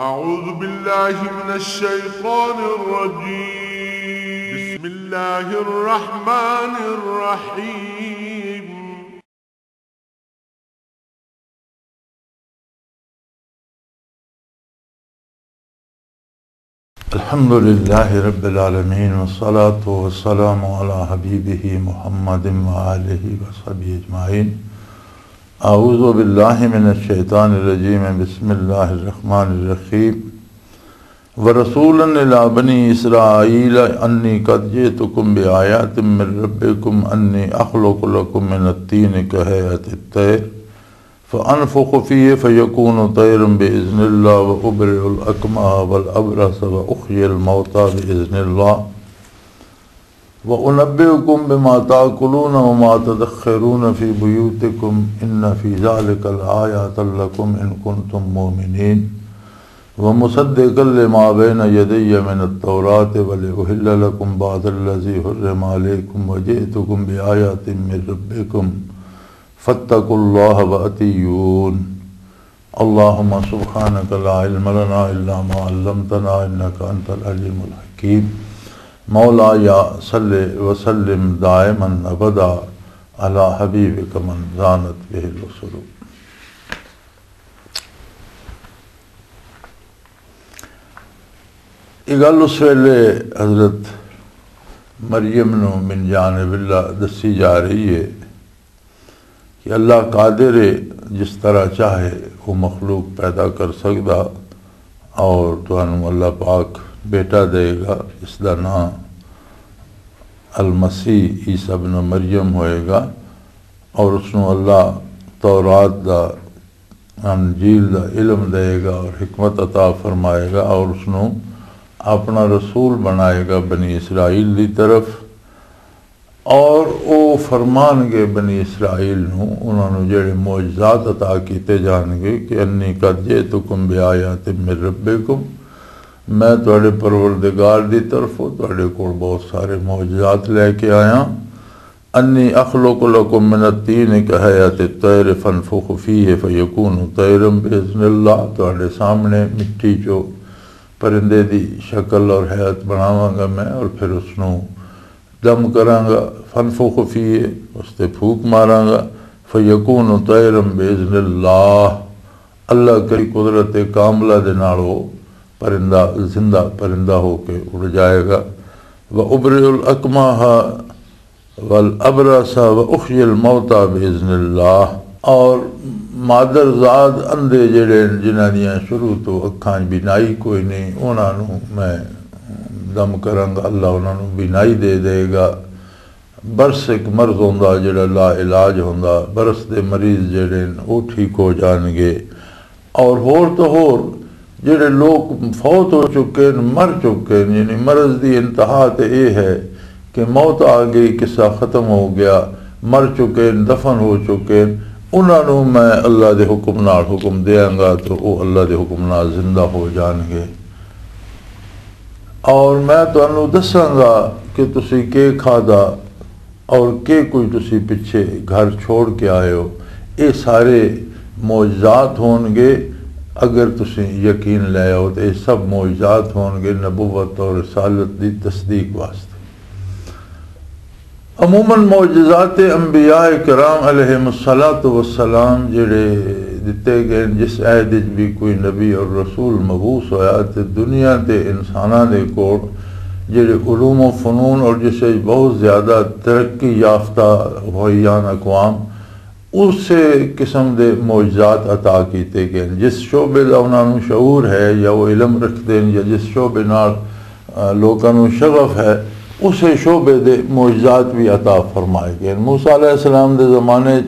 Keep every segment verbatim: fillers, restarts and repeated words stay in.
أعوذ بالله من الشيطان الرجيم. بسم الله الرحمن الرحيم. الحمد لله رب العالمين، والصلاة والسلام على حبيبه محمد وآله وصحبه أجمعين. أعوذ بالله من الشيطان الرجيم. بسم الله الرحمن الرحيم. ورسولا إلى بني إسرائيل أني قد جئتكم بآية من ربكم أني أخلق لكم من الطين كهيئة الطير فأنفخ فيه فيكون طيرا بإذن الله وأبرئ الأكمه والأبرص وأحيي الموتى بإذن الله وأنبئكم بما تأكلون وما تدخرون في بيوتكم إن في ذلك لآية لكم إن كنتم مؤمنين. ومصدقا لما بين يدي من التوراة ولأحل لكم بعض الذي حرم عليكم وجئتكم بآية من ربكم فاتقوا الله وأطيعون. اللهم سبحانك لا علم لنا إلا ما علمتنا إنك أنت العليم الحكيم. مولاي صل وسلم دائما أبدا على حبيبك من زانت به الأسر. یہ گل اس ویلے حضرت مریم نو من جانب اللہ دسی جا رہی ہے کہ اللہ قادر ہے، جس طرح چاہے وہ مخلوق پیدا کر سکدا، اور تانوں اللہ پاک بیٹا دے گا، اس دا نام المسیح عیسی ابن مریم ہوئے گا، اور اس نوں اللہ تورات دا، انجیل دا علم دے گا اور حکمت عطا فرمائے گا، اور اس نوں اپنا رسول بنائے گا بنی اسرائیل دی طرف۔ اور او فرمان گے بنی اسرائیل نوں، انہاں نوں جڑے معجزات عطا کیتے جان گے کہ انی قد جئتکم بآیات من ربکم، میں تواڈے پروردگار دی طرفوں تواڈے کول بہت سارے معجزات لے کے آیا۔ انی اخلق لکم من الطین کہیئۃ الطیر فانفخ فیہ فیکون طیرا باذن اللہ، تواڈے سامنے مٹی چو پرندے دی شکل اور ہیئت بناواں گا میں، اور پھر اس نوں دم کراں گا، فانفخ فیہ، اس تے پھوک ماراں گا، فیکون طیرا باذن اللہ، اللہ کی قدرت کاملہ دے نال وہ پرندہ، زندہ پرندہ ہو کے اڑ جائے گا۔ وابرئ الاکمہ والابرص واحیی الموتى باذن اللہ، اور مادر زاد اندھے جڑے ہیں، جنہاں دیاں شروع تو اکھاں بینائی کوئی نہیں، انہاں نوں میں دم کراں گا، اللہ انہاں نوں بینائی دے دے گا۔ برس ایک مرض ہوندا جڑا لا علاج ہوندا، برس دے مریض جڑے ہیں، وہ ٹھیک ہو جان گے۔ اور ہور تو ہور جڑے لوگ فوت ہو چکے ہیں، مر چکے ہیں، یعنی مرض دی انتہا تے اے ہے کہ موت آ گئی، قصہ ختم ہو گیا، مر چکے ہیں، دفن ہو چکے ہیں، انہاں نوں میں اللہ دے حکم نال حکم دیاں گا تو او اللہ دے حکم نال زندہ ہو جان گے۔ اور میں تانوں دساں گا کہ تسی کی کھادا اور کہ کوئی تسی پچھے گھر چھوڑ کے آئے ہو، یہ سارے معجزات ہون گے۔ اگر تسی یقین لے آؤ تو یہ سب معجزات ہون گے نبوت اور رسالت دی تصدیق واسطے۔ عموماً معجزات انبیاء کرام علیہ الصلوۃ والسلام جڑے دتے گئے، جس عہد وچ بھی کوئی نبی اور رسول مبعوث ہویا تے دنیا دے انساناں دے کول جڑے علوم و فنون اور جس وچ بہت زیادہ ترقی یافتہ ہوئی آن اقوام، اسے قسم دے معجزات عطا کیتے گئے۔ جس شعبے دا انہاں نوں شعور ہے یا وہ علم رکھتے ہیں یا جس شعبے نال، آ، لوکاں نوں شغف ہے، اسے شعبے دے معجزات بھی عطا فرمائے گئے۔ موسیٰ علیہ السلام دے زمانے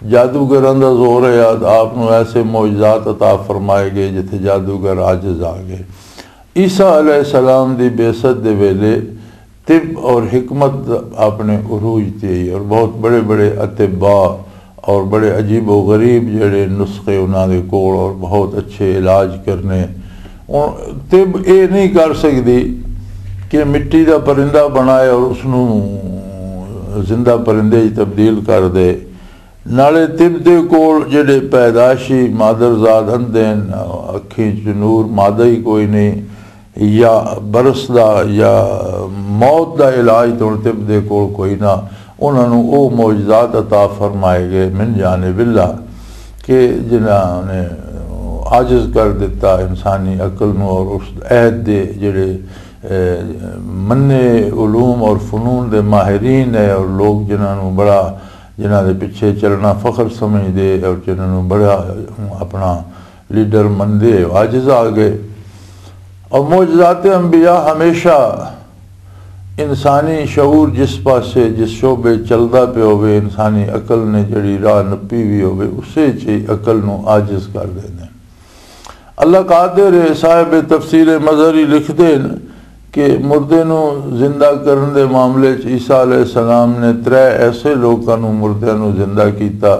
جادوگراں دا زور ہے، آپ نوں ایسے معجزات عطا فرمائے گئے جتھے جادوگر عاجز آ گئے۔ عیسیٰ علیہ السلام دی بعثت دے ویلے طب اور حکمت اپنے عروج تے آئی اور بہت بڑے بڑے اطباء اور بڑے عجیب و غریب جڑے نسخے انہاں دے کول اور بہت اچھے علاج کرنے۔ ہن طب اے نہیں کر سکدی کہ مٹی دا پرندہ بنائے اور اس نوں زندہ پرندے وچ تبدیل کر دے۔ نالے طب دے کول جڑے پیدائشی مادر زاد اندے ہن، اکھیں چ نور مادہ ہی کوئی نہیں، یا برس دا یا موت دا علاج تو طب دے کول کوئی نہ، انہاں نوں او معجزات عطا فرمائے گئے من جانب اللہ کہ جنہاں نے عاجز کر دیتا انسانی عقل نوں، اور اس عہد دے جڑے، اے، منے علوم اور فنون دے ماہرین ہے، اور لوگ جنہاں نوں بڑا، جنہاں دے پیچھے چلنا فخر سمجھ دے اور جنہاں نوں بڑا اپنا لیڈر مندے، عاجز آ گئے۔ اور معجزات انبیاء ہمیشہ انسانی شعور جس پاسے، جس شعبے چلدا پیا ہوئے، انسانی عقل نے جڑی راہ نپی بھی ہوئے، اسے چ ہی عقل نوں عاجز کر دیندے۔ اللہ قادر ہے۔ صاحب تفسیر مظہری لکھدے نے کہ مردے نوں زندہ کرن دے معاملے چ عیسیٰ علیہ السلام نے ترے ایسے لوکاں نوں، مردیاں نوں زندہ کیتا،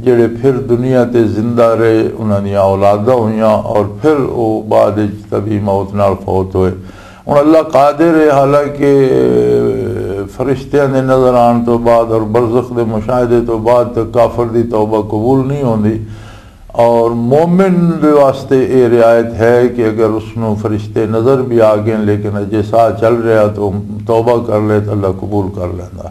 جڑے پھر دنیا تے زندہ رہے، انہاں دیاں اولاداں ہوئیاں اور پھر او بعد وچ طبی موت نال فوت ہوئے۔ ہن اللہ قادر ہے، حالانکہ فرشتیاں دے نظر آن تو بعد اور برزخ دے مشاہدے تو بعد تے کافر دی توبہ قبول نہیں ہوندی، اور مومن دے واسطے اے رعایت ہے کہ اگر اس نوں فرشتے نظر بھی آ گئے لیکن اجے ساہ چل رہا تو توبہ کر لے تو اللہ قبول کر لیندا۔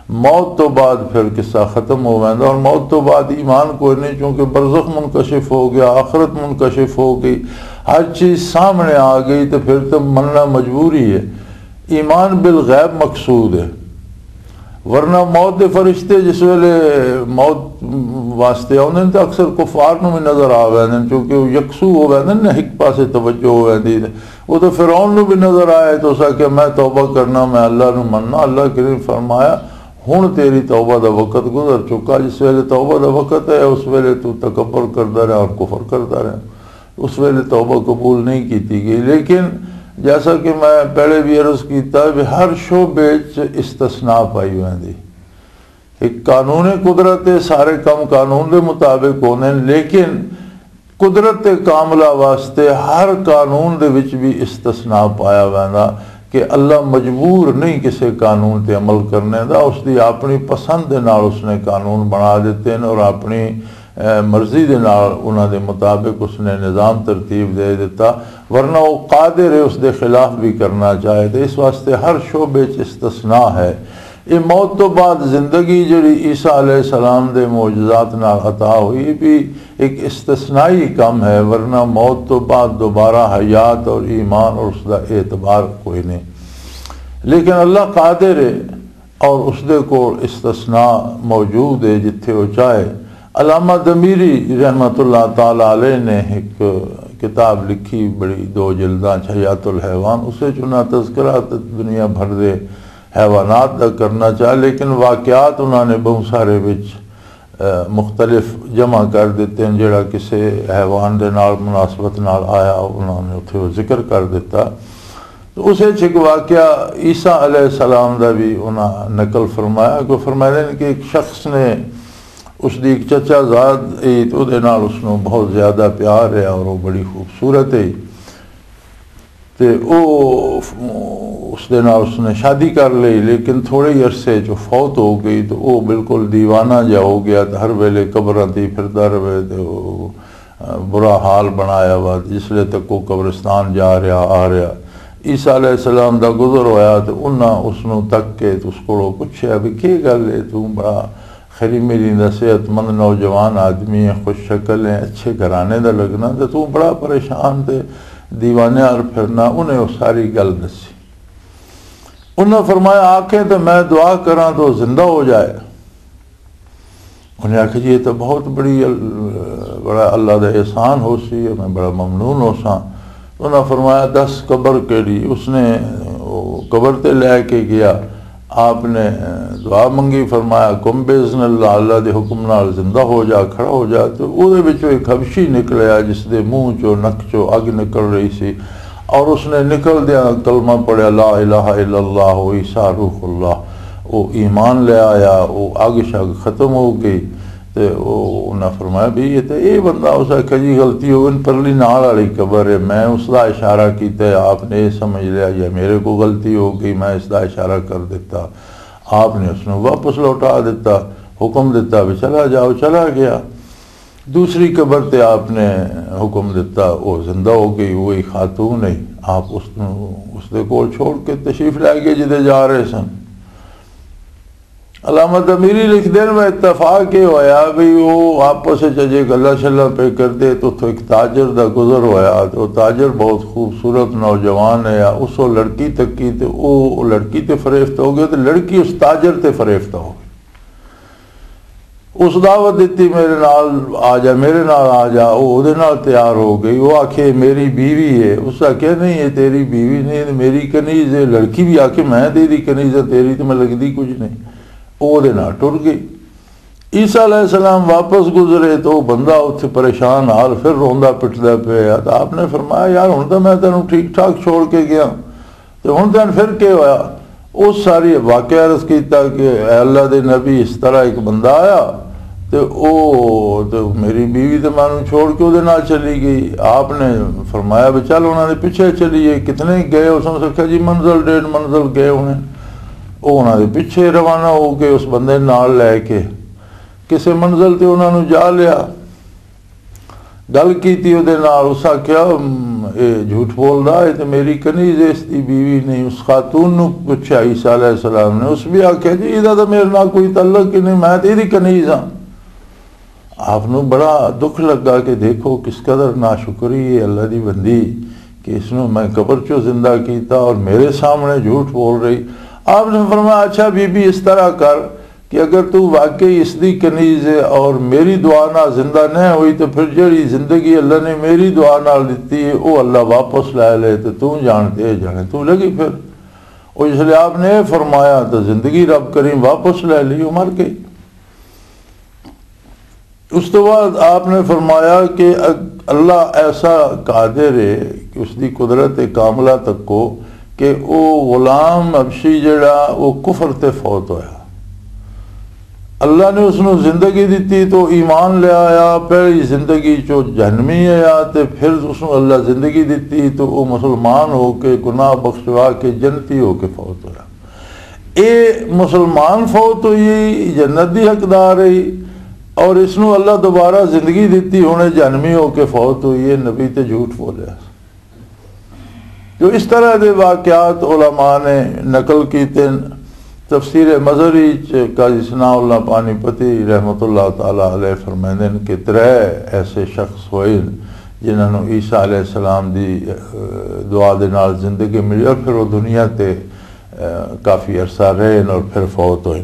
موت تو بعد پھر قصہ ختم ہو ویندا، اور موت تو بعد ایمان کوئی نہیں، چونکہ برزخ منکشف ہو گیا، آخرت منکشف ہو گئی، ہر چیز سامنے آ گئی، تو پھر تو مننا مجبوری ہے۔ ایمان بالغیب مقصود ہے، ورنہ موت دے فرشتے جس ویلے موت واسطے آوندے نے تو اکثر کفار نوں بھی نظر آ ویندے نے، کیونکہ وہ یکسو ہو ویندے نے، ایک پاسے توجہ ہو ویندی ہے۔ وہ تو فرعون نوں بھی نظر آئے تو اس آکھیا، "میں توبہ کرنا، میں اللہ نوں مننا۔" اللہ کریم فرمایا، "ہن تیری توبہ دا وقت گزر چکا، جس ویلے توبہ دا وقت ہے، اس ویلے تو تکبر کردا رہا اور کفر کردا رہا۔" اس ویلے توبہ قبول نہیں کیتی گئی۔ لیکن جیسا کہ میں پہلے بھی عرض کیتا، بھی ہر شعبے چ استثناء پائی ویندی۔ ایک قانون قدرت ہے، سارے کام قانون دے مطابق ہوندے نے، لیکن قدرت کاملہ واسطے ہر قانون دے وچ بھی استثناء پایا ویندا کہ اللہ مجبور نہیں کسے قانون تے عمل کرنے دا، اس دی اپنی پسند دے نال اس نے قانون بنا دیتے ہیں اور اپنی، اے، مرضی دے نال انہاں دے مطابق اس نے نظام ترتیب دے دیتا، ورنہ وہ قادر ہے اس دے خلاف بھی کرنا چاہے۔ تو اس واسطے ہر شعبے چ استثناء ہے۔ یہ موت تو بعد زندگی جڑی عیسیٰ علیہ السلام دے معجزات نال عطا ہوئی بھی ایک استثنائی کم ہے، ورنہ موت تو بعد دوبارہ حیات اور ایمان اور اس دا اعتبار کوئی نہیں۔ لیکن اللہ قادر ہے اور اس دے کول استثناء موجود ہے جتھے وہ چاہے۔ علامہ دمیری رحمت اللہ تعالی علیہ نے ایک کتاب لکھی، بڑی دو جلداں چ حیات الحیوان، اسے چ انہاں تذکرہ تے دنیا بھر دے حیوانات دا کرنا چاہے، لیکن واقعات انہاں نے بہت سارے وچ، اے، مختلف جمع کر دیتے ہیں، جڑا کسے حیوان دے نال مناسبت نال آیا، انہاں نے اتھے وہ ذکر کر دیتا۔ تو اسے چ ایک واقعہ عیسیٰ علیہ السلام دا بھی انہاں نقل فرمایا، کہ فرمایا کہ ایک شخص نے اس دی ایک چچا زاد ای، تے اودے نال اس نوں بہت زیادہ پیار ہے اور وہ بڑی خوبصورت ہے۔ تے او اس دے نال اس نے شادی کر لئی، لیکن تھوڑے ہی عرصے چ فوت ہو گئی، تے او بالکل دیوانہ جا ہو گیا، تے ہر ویلے قبراں تے ہی پھردا رہے، تے او، آ، برا حال بنایا ہوا۔ جس لے تک وہ قبرستان جا رہا، آ رہا، عیسیٰ علیہ السلام دا گزر ہویا، تے انہاں اس نوں تک کے تے اس کولوں پوچھیا بھی، "کی گل ہے، تو بڑا خیری میری دا صحت مند نوجوان آدمی ہے، خوش شکل ہے، اچھے گھرانے دا لگنا، تے تو بڑا پریشان تے دیوانے آر پھرنا۔" انہیں وہ ساری گل دسی۔ انہاں فرمایا، "آکھیں تے میں دعا کراں تو زندہ ہو جائے۔" انہیں آکھیا، "جی، یہ تو بہت بڑی ال-، بڑا اللہ دا احسان ہو سی، میں بڑا ممنون ہو ساں۔" انہاں فرمایا، "دس قبر کیڑی؟" اس نے وہ قبر تے لے کے گیا، آپ نے دعا منگی، فرمایا، "کم باذن اللہ، اللہ دے حکم نال زندہ ہو جا، کھڑا ہو جا۔" تو او دے وچوں ایک حبشی نکلیا، جس دے منہ چوں، نک چوں اگ نکل رہی سی، اور اس نے نکل دیا کلمہ پڑھیا، "لا الہ الا اللہ، عیسیٰ روح اللہ۔" او ایمان لے آیا، او اگ شگ ختم ہو گئی۔ تے او، انہاں فرمایا، "بھی یہ تے یہ بندہ۔" اس آکھیا، "جی، غلطی ہو گئی، پرلی نال والی قبر ہے، میں اس دا اشارہ کیتا ہے، آپ نے یہ سمجھ لیا یا میرے کو غلطی ہو گئی، میں اس دا اشارہ کر دیتا۔" آپ نے اس نوں واپس لوٹا دیتا۔ حکم دتا بھی چلا جاؤ، چلا گیا۔ دوسری قبر تے آپ نے حکم دتا، وہ زندہ ہو گئی، وہی خاتون ہے۔ آپ اس نو، اس دے کول چھوڑ کے تشریف لے گئے جدے جا رہے سن۔ علامہ امیری لکھ دین میں اتفاق یہ ہویا بھی وہ آپس وچ اجے گلاں شلاں پہ کردے تو اتھوں ایک تاجر دا گزر ہویا، تے وہ تاجر بہت خوبصورت نوجوان ہے، اس وہ لڑکی تکی تے وہ لڑکی تے فریفت ہو گئے تے لڑکی اس تاجر تے فریفت ہو گئی۔ اس دعوت دتی، میرے نال آ جا، میرے نال آ جا۔ وہ اودے نال تیار ہو گئی۔ وہ آکھے میری بیوی ہے۔ اس آکھیا نہیں، یہ تیری بیوی نہیں، یہ میری کنیز ہے۔ لڑکی بھی آکھے میں تیری کنیز ہے، تیری تو میں لگدی کچھ نہیں۔ وہ اودے نال ٹر گئی۔ عیسیٰ علیہ السلام واپس گزرے تو وہ بندہ اتھے پریشان حال پھر روندا پٹدا پیا۔ تو آپ نے فرمایا، یار، ہن تو میں تینوں ٹھیک ٹھاک چھوڑ کے گیا، تے ہن تین پھر کی ہویا؟ اس ساری واقعہ عرض کیتا کہ اے اللہ دے نبی، اس طرح ایک بندہ آیا تے او تے میری بیوی تے مینوں چھوڑ کے اودے نال چلی گئی۔ آپ نے فرمایا بھی چل انہاں دے پیچھے چلیے۔ کتنے گئے؟ اس نے آکھیا جی منزل ڈیڑھ منزل گئے ہونے۔ او انہاں دے پیچھے روانہ ہو کے اس بندے نال لے کے کسے منزل تے انہاں نوں جا لیا۔ گل کیتی اودے نال، اس آکھیا، "ام، اے جھوٹ بولدا، اے تے میری کنیز ہے، اس دی بیوی نہیں۔" اس خاتون نو پچھیا عیسیٰ علیہ السلام نے، اس بھی آکھیا، "جی، ایدا تے میرے نال کوئی تعلق ہی نہیں، میں تے ایدی کنیز ہاں۔" آپ نو بڑا دکھ لگا کہ دیکھو کس قدر ناشکری ہے اللہ دی بندی، کہ اس نو میں قبر چوں زندہ کیتا اور میرے سامنے جھوٹ بول رہی۔ آپ نے فرمایا، "اچھا بی بی، اس طرح کر، کہ اگر تو واقعی اس دی کنیز ہے اور میری دعا نال زندہ نہ ہوئی، تو پھر جڑی زندگی اللہ نے میری دعا نال دتی ہے، او اللہ واپس لے لے، تے تو جان تے جانے تو لگی پھر۔" او اس لیے آپ نے یہ فرمایا، تو زندگی رب کریم واپس لے لی، وہ مر گئی۔ اس تو بعد آپ نے فرمایا کہ اگ-، اللہ ایسا قادر ہے کہ اس دی قدرت کاملہ تک کو کہ او غلام حبشی جڑا، او کفر تے فوت ہویا۔ اللہ نے اس نو زندگی دتی تو ایمان لے آیا، پہلی زندگی چو جہنمی آیا، تے پھر اس نو اللہ زندگی دتی تو او مسلمان ہو کے، گناہ بخشوا کے، جنتی ہو کے فوت ہویا۔ اے مسلمان فوت ہوئی، جنت دی حقدار ہے، اور اس نو اللہ دوبارہ زندگی دتی، ہن اے جہنمی ہو کے فوت ہوئی ہے، نبی تے جھوٹ بولیا۔ تو اس طرح دے واقعات علماء نے نقل کیتے ہیں۔ تفسیر مظہری چ قاضی ثناء اللہ پانی پتی رحمۃ اللہ تعالی علیہ فرمائندے ہیں کہ ترے ایسے شخص ہوئے جنہاں نوں عیسیٰ علیہ السلام دی، اہ، دعا دے نال زندگی ملی اور پھر وہ دنیا تے، اہ، کافی عرصہ رہے اور پھر فوت ہوئے۔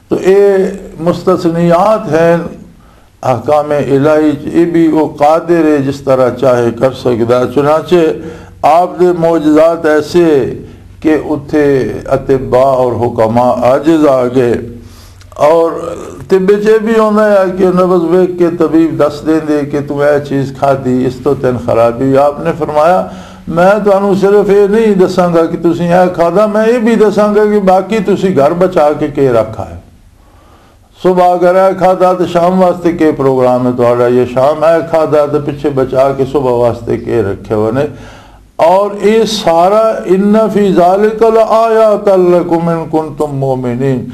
تو اے مستثنیات ہیں احکام الہی چ، اے بھی وہ قادر ہے جس طرح چاہے کر سکدا۔ چنانچہ آپ دے معجزات ایسے کہ اتھے اطباء اور حکماء عاجز آ گئے۔ اور طب چ یہ بھی ہونا ہے کہ نبض ویکھ کے طبیب دس دیں دے کہ تم اے چیز کھادی، اس تو تین خرابی۔ آپ نے فرمایا، میں تانوں صرف یہ نہیں دساں گا کہ تسی اے کھادا، میں یہ بھی دساں گا کہ باقی تسی گھر بچا کے کے رکھا ہے۔ صبح اگر اے کھادا تو شام واسطے کے پروگرام ہے تہاڈا، یہ شام اے کھادا تو پیچھے بچا کے صبح واسطے کے رکھے ہوئے نے۔ اور یہ سارا، ان فی ذالک لآیات لکم ان کنتم مؤمنین،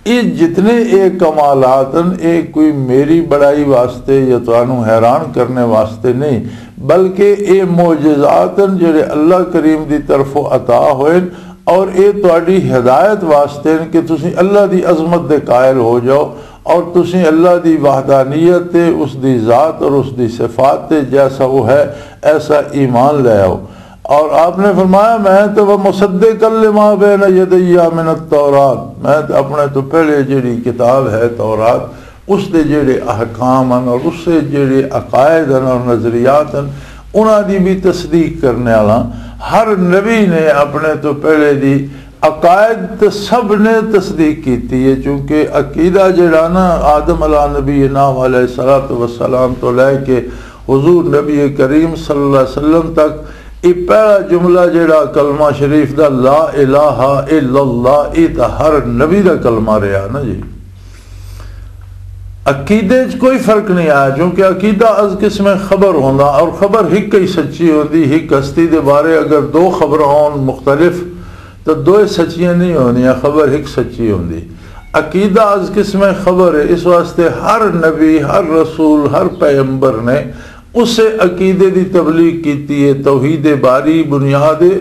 یہ جتنے اے کمالات ہیں، اے کوئی میری بڑائی واسطے یا تانوں حیران کرنے واسطے نہیں، بلکہ اے معجزات ہیں جڑے اللہ کریم دی طرفوں عطا ہوئے، اور اے تہاڈی ہدایت واسطے ہیں کہ تسی اللہ دی عظمت دے قائل ہو جاؤ اور تسی اللہ دی وحدانیت تے، اس دی ذات اور اس دی صفات تے، جیسا وہ ہے ایسا ایمان لے آؤ۔ اور آپ نے فرمایا، میں تو وہ مصدق لما بین یدی من التورات، میں تو اپنے تو پہلے جڑی کتاب ہے تورات، اس دے جڑے احکام ہیں اور اس دے جڑے عقائد ہیں اور نظریات ہیں، انہاں دی بھی تصدیق کرنے والا۔ ہر نبی نے اپنے تو پہلے دی عقائد تے سب نے تصدیق کیتی ہے، چونکہ عقیدہ جڑا نا، آدم علیہ نبی نام علیہ الصلوۃ والسلام تو لے کے حضور نبی کریم صلی اللہ علیہ وسلم تک، یہ پہلا جملہ جڑا کلمہ شریف دا، لا الہ الا اللہ، یہ تو ہر نبی دا کلمہ رہا نا جی۔ عقیدے چ کوئی فرق نہیں آیا، چونکہ عقیدہ از قسم خبر ہوندا اور خبر ہک ہی سچی ہوندی۔ ہک ہستی دے بارے اگر دو خبر ہون مختلف، تو دوئے سچیاں نہیں ہوندیاں، خبر ہک سچی ہوندی۔ عقیدہ از قسم خبر ہے، اس واسطے ہر نبی، ہر رسول، ہر پیغمبر نے اسے عقیدے دی تبلیغ کیتی ہے، توحید باری بنیاد ہے،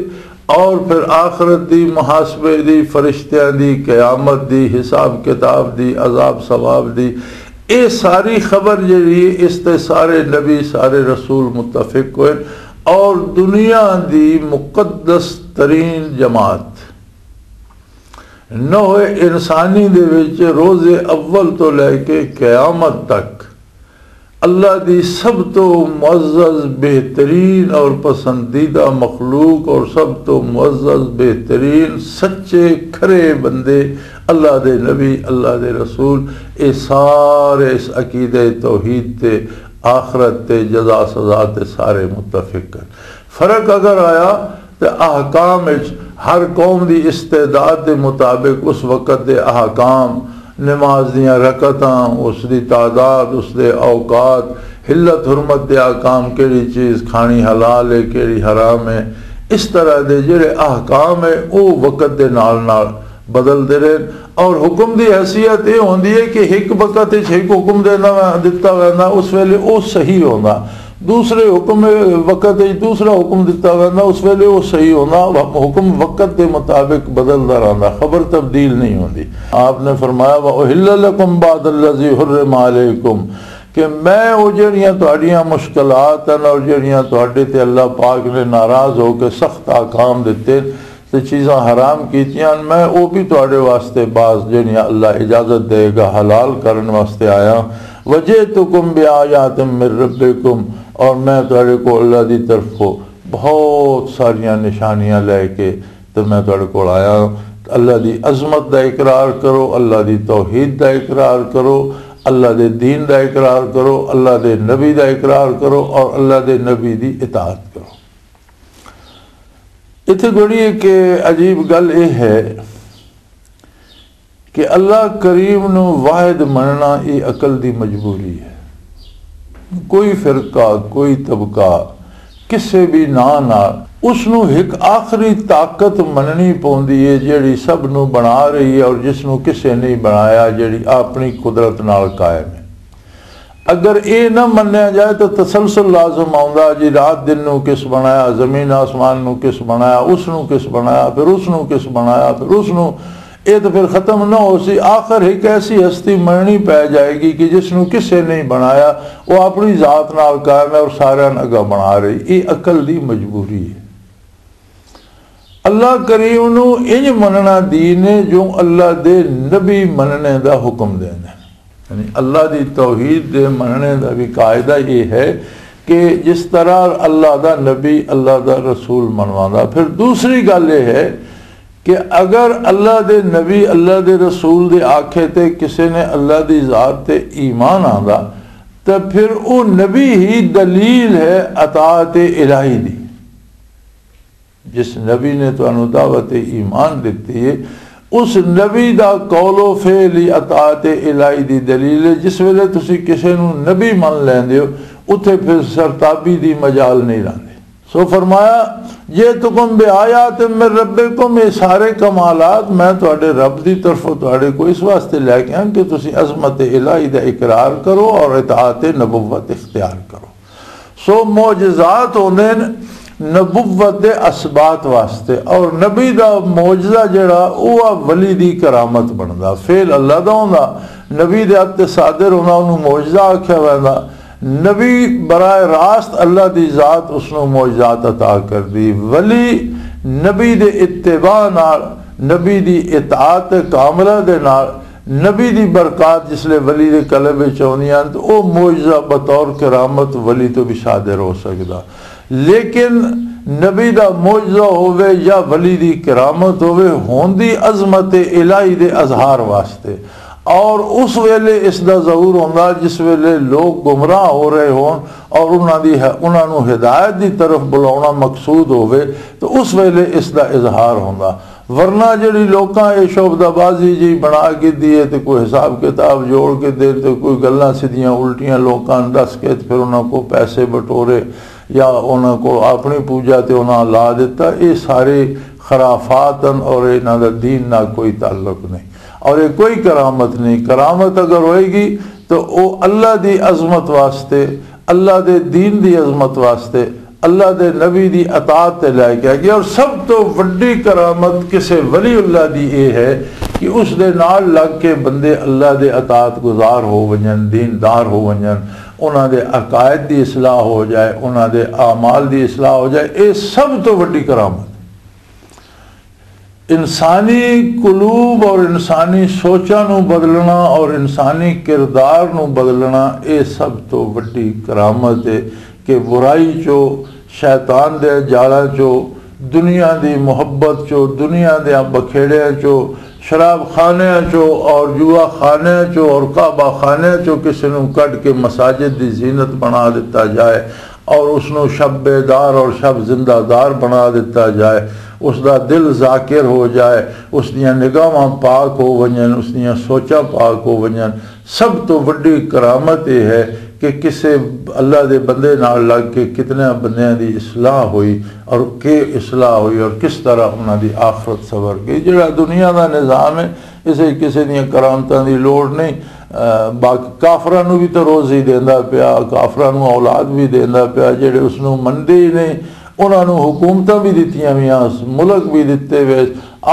اور پھر آخرت دی، محاسبے دی، فرشتیاں دی، قیامت دی، حساب کتاب دی، عذاب ثواب دی، اے ساری خبر جڑی ہے، اس تے سارے نبی، سارے رسول متفق ہوئے۔ اور دنیا دی مقدس ترین جماعت نوع انسانی دے وچ روز اول تو لے کے قیامت تک اللہ دی سب تو معزز، بہترین اور پسندیدہ مخلوق اور سب تو معزز، بہترین، سچے، کھرے بندے، اللہ دے نبی، اللہ دے رسول، اے سارے اس عقیدہ توحید تے، آخرت تے، جزا سزا تے سارے متفق ہیں۔ فرق اگر آیا تے احکام وچ ہر قوم دی استعداد دے مطابق اس وقت دے احکام، نماز دیاں رکعتاں، اس دی تعداد، اس دے اوقات، حلت حرمت دے احکام، کیڑی چیز کھانی حلال ہے، کیڑی حرام ہے، اس طرح دے جڑے احکام ہے، او وقت دے نال نال بدل دے رہے۔ اور حکم دی حیثیت یہ ہوندی ہے کہ ایک وقت وچ ایک حکم دینا، دتا ویندا، اس ویلے او صحیح ہوندا۔ دوسرے حکم وقت وچ دوسرا حکم دتا ویندا، اس ویلے او صحیح ہوندا۔ حکم وقت دے مطابق بدلدا رہندا، خبر تبدیل نہیں ہوندی۔ آپ نے فرمایا، "وَأُحِلَّ لَكُمْ بَعْضَ الَّذِي حُرِّمَ عَلَيْكُمْ"، کہ میں او جڑیاں تہاڈیاں مشکلات ہیں اور جڑیاں تہاڈے تے اللہ پاک نے ناراض ہو کے سخت احکام دتے، تے چیزاں حرام کیتیاں، میں او بھی تہاڈے واسطے بعض جڑیاں اللہ اجازت دے گا حلال کرن واسطے آیا۔ "وَجِئْتُكُمْ بِآيَاتٍ مِّن رَّبِّكُمْ"، اور میں تہاڈے کو اللہ دی طرفوں بہت ساریاں نشانیاں لے کے تے میں تہاڈے کول آیا ہاں۔ اللہ دی عظمت دا اقرار کرو، اللہ دی توحید دا اقرار کرو، اللہ دے دین دا اقرار کرو، اللہ دے نبی دا اقرار کرو اور اللہ دے نبی دی اطاعت کرو۔ اتھے بڑی ایک عجیب گل یہ ہے کہ اللہ کریم نو واحد مننا، یہ عقل دی مجبوری ہے۔ کوئی فرقہ، کوئی طبقہ، کسے بھی ناں نال اس نو ایک آخری طاقت مننی پوندی ہے، جیڑی سب نو بنا رہی ہے اور جس نو کسے نہیں بنایا، جیڑی اپنی قدرت نال قائم ہے۔ اگر اے نہ منیا جائے تو تسلسل لازم آوندا جی، رات دن نو کس بنایا، زمین آسمان نو کس بنایا، اس نو کس بنایا، پھر اس نو کس بنایا، پھر اس نو، اے تو پھر ختم نہ ہو سی۔ آخر ایک ایسی ہستی مرنی پی جائے گی کہ جس نو کسے نہیں بنایا، وہ اپنی ذات نال قائم ہے اور سارے اگا بنا رہی۔ یہ عقل دی مجبوری ہے۔ اللہ کریم نو انج مننا دین ہے جو اللہ دے نبی مننے دا حکم دینا ہے۔ یعنی اللہ دی توحید دے مننے دا بھی قاعدہ یہ ہے کہ جس طرح اللہ دا نبی، اللہ دا رسول منواندا۔ پھر دوسری گل یہ ہے کہ اگر اللہ دے نبی، اللہ دے رسول دے آکھے تے کسے نے اللہ دی ذات تے ایمان آندا، تے پھر او نبی ہی دلیل ہے اطاعت الہی دی۔ جس نبی نے تانوں دعوت ایمان دتی ہے، اس نبی دا قول و فعل ہی اطاعت الہی دی دلیل ہے۔ جس ویلے تسی کسے نوں نبی من لیندے ہو، اتھے پھر سرتابی دی مجال نہیں رہندی۔ سو فرمایا، "جئتکم بآیات من ربکم"، یہ سارے کمالات میں تہاڈے رب دی طرفوں تہاڈے کو اس واسطے لے کے آں کہ تسی عظمت الہی دا اقرار کرو اور اطاعت نبوت اختیار کرو۔ سو معجزات ہوندے نے نبوت دے اثبات واسطے، اور نبی دا معجزہ جڑا، او آ ولی دی کرامت بندا۔ فعل اللہ دا ہوندا، نبی دے ہتھ تے صادر ہونا، اونوں معجزہ آکھیا ویندا۔ نبی براہ راست اللہ دی ذات اس نوں معجزات عطا کر دی۔ ولی نبی دے اتباع نال، نبی دی اطاعت کاملہ دے نال، نبی دی برکات جس لے ولی دے قلب وچ آندیاں ہن، تے او معجزہ بطور کرامت ولی تو بھی صادر ہو سکدا۔ لیکن نبی دا معجزہ ہووے یا ولی دی کرامت ہووے، ہوندی عظمت الہی دے اظہار واسطے۔ اور اس ویلے اس دا ظہور ہوندا جس ویلے لوگ گمراہ ہو رہے ہون اور انہاں دی، انہاں نوں ہدایت دی طرف بلاونا مقصود ہووے، تو اس ویلے اس دا اظہار ہوندا۔ ورنہ جڑی لوکاں اے شعبدہ بازی جی بنا کے دیے تے کوئی حساب کتاب جوڑ کے دے تے کوئی گلاں سدھیاں الٹیاں لوکاں نوں دس کے تے پھر انہاں کو پیسے بٹورے یا انہاں کو اپنی پوجا تے انہاں لا دیتا، اے سارے خرافات ہن اور انہاں دا دین نال کوئی تعلق نہیں۔ اور یہ کوئی کرامت نہیں۔ کرامت اگر ہوئے گی تو وہ اللہ دی عظمت واسطے، اللہ دے دین دی عظمت واسطے، اللہ دے نبی دی اطاعت تے لے کے آئے گی۔ اور سب تو وڈی کرامت کسے ولی اللہ دی یہ ہے کہ اس دے نال لگ کے بندے اللہ دے اطاعت گزار ہو ونجن، دیندار ہو ونجن، انہاں دے عقائد دی اصلاح ہو جائے، انہاں دے اعمال دی اصلاح ہو جائے۔ یہ سب تو وڈی کرامت۔ انسانی قلوب اور انسانی سوچاں نوں بدلنا اور انسانی کردار نوں بدلنا، اے سب تو وڈی کرامت ہے کہ برائی چو، شیطان دے جالاں چو، دنیا دی محبت چو، دنیا دیاں بکھیڑیاں چو، شراب خانیاں چو اور جوا خانیاں چو اور کعبہ خانیاں چو کسے نوں کڈ کے مساجد دی زینت بنا دتا جائے اور اس نوں شب بیدار اور شب زندہ دار بنا دتا جائے، اس دا دل ذاکر ہو جائے، اس دیاں نگاہاں پاک ہو ونجن، اس دیاں سوچاں پاک ہو ونجن۔ سب تو وڈی کرامت یہ ہے کہ کسے اللہ دے بندے نال لگ کے کتنے بندیاں دی اصلاح ہوئی، اور کہ اصلاح ہوئی اور کس طرح انہاں دی آخرت سنور گئی۔ جڑا دنیا دا نظام ہے، اسے کسے دیاں کرامتاں دی لوڑ نہیں۔ آ، باقی کافراں نوں بھی تو روزی دیندا پیا، کافراں نوں اولاد بھی دیندا پیا، جڑے اس نوں مندے ہی نہیں، انہاں نوں حکومتاں بھی دتیاں ویاں، ملک بھی دتے وے۔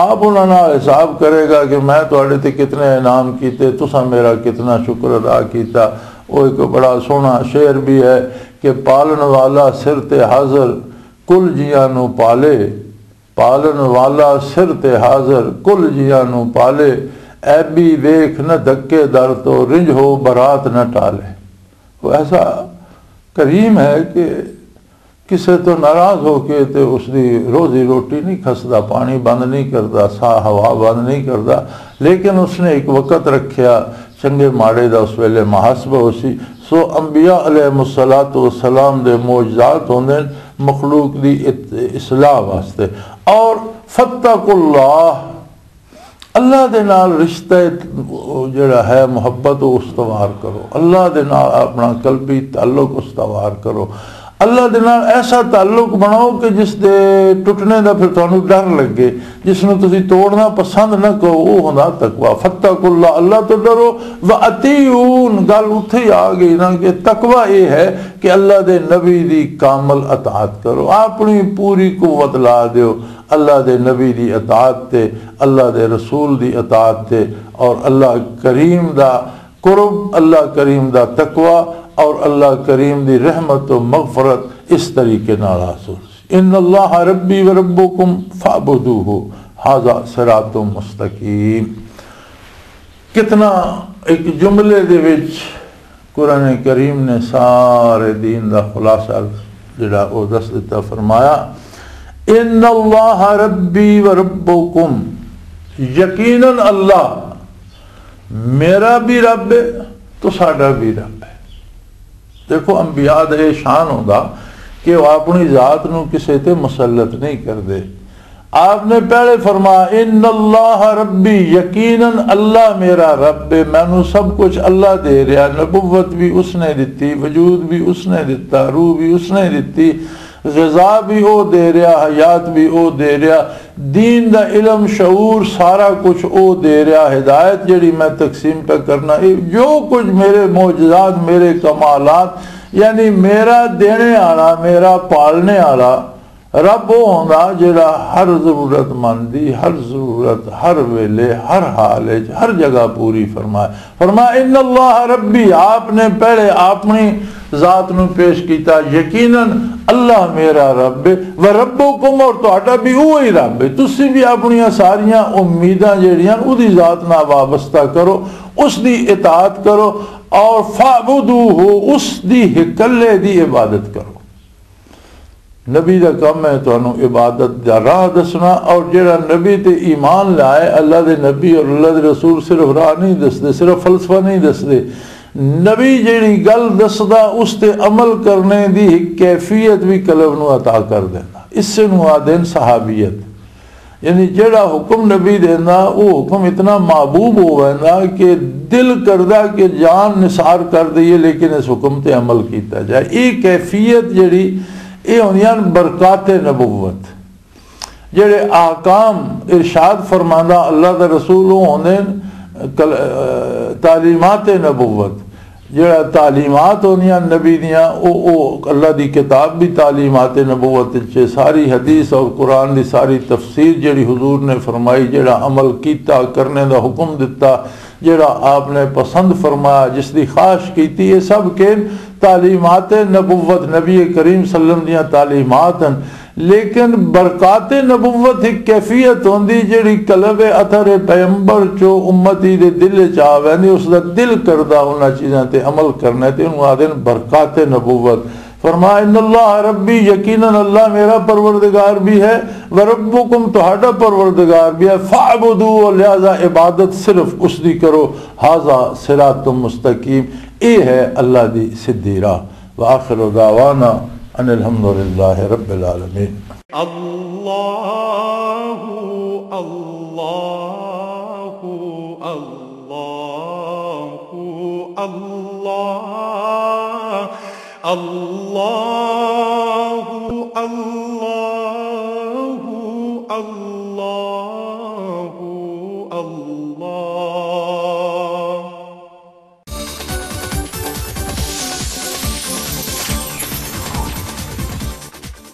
آپ انہاں نال حساب کرے گا کہ میں تہاڈے تے کتنے انعام کیتے، تساں میرا کتنا شکر ادا کیتا۔ وہ ایک بڑا سوہنا شعر بھی ہے کہ پالن والا سر تے حاضر، کل جیاں نوں پالے، پالن والا سر تے حاضر، کل جیاں نوں پالے، ایبی ویکھ نہ دھکے در تو، رنج ہو برات نہ ٹالے۔ وہ ایسا کریم ہے کہ کسے تو ناراض ہو کے تے اس دی روزی روٹی نہیں کھسدا، پانی بند نہیں کردا، ساہ ہوا بند نہیں کردا، لیکن اس نے ایک وقت رکھیا، چنگے ماڑے دا اس ویلے محاسبہ ہو سی۔ سو انبیاء علیہ الصلوۃ والسلام دے معجزات ہوندے نے مخلوق دی ات-، اصلاح واسطے۔ اور فاتقوا اللہ، اللہ دے نال رشتہ جڑا ہے، محبت، وہ استوار کرو۔ اللہ دے نال اپنا قلبی تعلق استوار کرو۔ اللہ دے نال ایسا تعلق بناؤ کہ جس دے ٹوٹنے دا پھر تانوں ڈر لگے، جس نوں تسی توڑنا پسند نہ کرو، وہ ہوندا تقوی۔ فاتقوا اللہ، اللہ تو ڈرو۔ و اطیعون، گل اتھے ہی آ گئی نا کہ تقوی یہ ہے کہ اللہ دے نبی دی کامل اطاعت کرو، اپنی پوری قوت لا دیو اللہ دے نبی دی اطاعت تے، اللہ دے رسول دی اطاعت تے، اور اللہ کریم دا قرب، اللہ کریم دا تقوی، اور اللہ کریم دی رحمت و مغفرت اس طریقے نال حاصل۔ ان اللہ ربی و ربکم فاعبدوہ، ھذا صراط مستقیم۔ کتنا ایک جملے دے وچ قرآن کریم نے سارے دین دا خلاصہ جڑا او دس دتا، فرمایا، ان اللہ ربی و ربکم، یقیناً اللہ میرا بھی رب ہے تو ساڈا بھی رب ہے۔ دیکھو، انبیاء دا یہ شان ہوندا کہ وہ اپنی ذات نو کسے تے مسلط نہیں کردے۔ آپ نے پہلے فرمایا، ان اللہ ربی، یقیناً اللہ میرا رب ہے، مینوں سب کچھ اللہ دے رہا، نبوت بھی اس نے دتی، وجود بھی اس نے دتا، روح بھی اس نے دتی، غذا بھی او دے رہا، حیات بھی او دے رہا، دین دا علم، شعور، سارا کچھ او دے رہا، ہدایت جڑی میں تقسیم پہ کرنا، اے جو کچھ میرے معجزات، میرے کمالات، یعنی میرا دینے والا، میرا پالنے والا رب او ہوندا جڑا ہر ضرورت مند دی ہر ضرورت، ہر ویلے، ہر حال وچ، ہر جگہ پوری فرمائے۔ فرمایا، ان اللہ ربی، آپ نے پہلے اپنی ذات نو پیش کیتا، یقیناً اللہ میرا رب ہے، و ربکم، اور تہاڈا بھی وہی رب ہے۔ تسی بھی اپنیاں ساریاں امیداں جڑیاں اودی ذات نال وابستہ کرو، اس دی اطاعت کرو، اور فاعبدوہ، اس دی اکلے دی عبادت کرو۔ نبی دا کم ہے تانوں عبادت دا راہ دسنا، اور جڑا نبی تے ایمان لائے، اللہ دے نبی اور اللہ دے رسول صرف راہ نہیں دسدے، صرف فلسفہ نہیں دسدے۔ نبی جڑی گل دسدا، اس تے عمل کرنے دی ایک کیفیت بھی قلب نو عطا کر دینا۔ اس نو آدین صحابیت۔ یعنی جڑا حکم نبی دیندا، وہ حکم اتنا محبوب ہو ویندا کہ دل کردا کہ جان نثار کر دئیے، لیکن اس حکم تے عمل کیتا جائے۔ یہ کیفیت جڑی، یہ ہوندیاں نے برکات نبوت۔ جڑے احکام ارشاد فرماندا اللہ دا رسول، وہ ہوندے نے کل-، آ، تعلیمات نبوت، جڑا تعلیمات ہوندیاں نبی دیاں، او، او اللہ دی کتاب بھی تعلیمات نبوت وچ ہے۔ ساری حدیث اور قرآن دی ساری تفسیر جڑی حضور نے فرمائی، جڑا عمل کیتا، کرنے دا حکم دتا، جڑا آپ نے پسند فرمایا، جس دی خواہش کیتی، یہ سب کے تعلیمات نبوت، نبی کریم صلی اللہ علیہ وسلم دیاں تعلیمات ہیں۔ لیکن برکات نبوت ایک کیفیت ہوندی، جڑی قلب اثر پیغمبر چو امتی دے دل چ آ ویندی، اس دا دل کردا انہاں چیزاں تے عمل کرنا ہے، تے انہوں آدھے نے برکات نبوت۔ فرمایا، "ان اللہ ربی"، یقیناً اللہ میرا پروردگار بھی ہے، "وربکم"، تہاڈا پروردگار بھی ہے، "فاعبدوہ"، لہذا عبادت صرف اس دی کرو، "ھذا صراط مستقیم"، اے ہے اللہ دی سدھی راہ۔ وآخر دعوانا ان الحمدللہ رب العالمین۔ اللہ، اللہ، اللہ، اللہ، اللہ، اللہ۔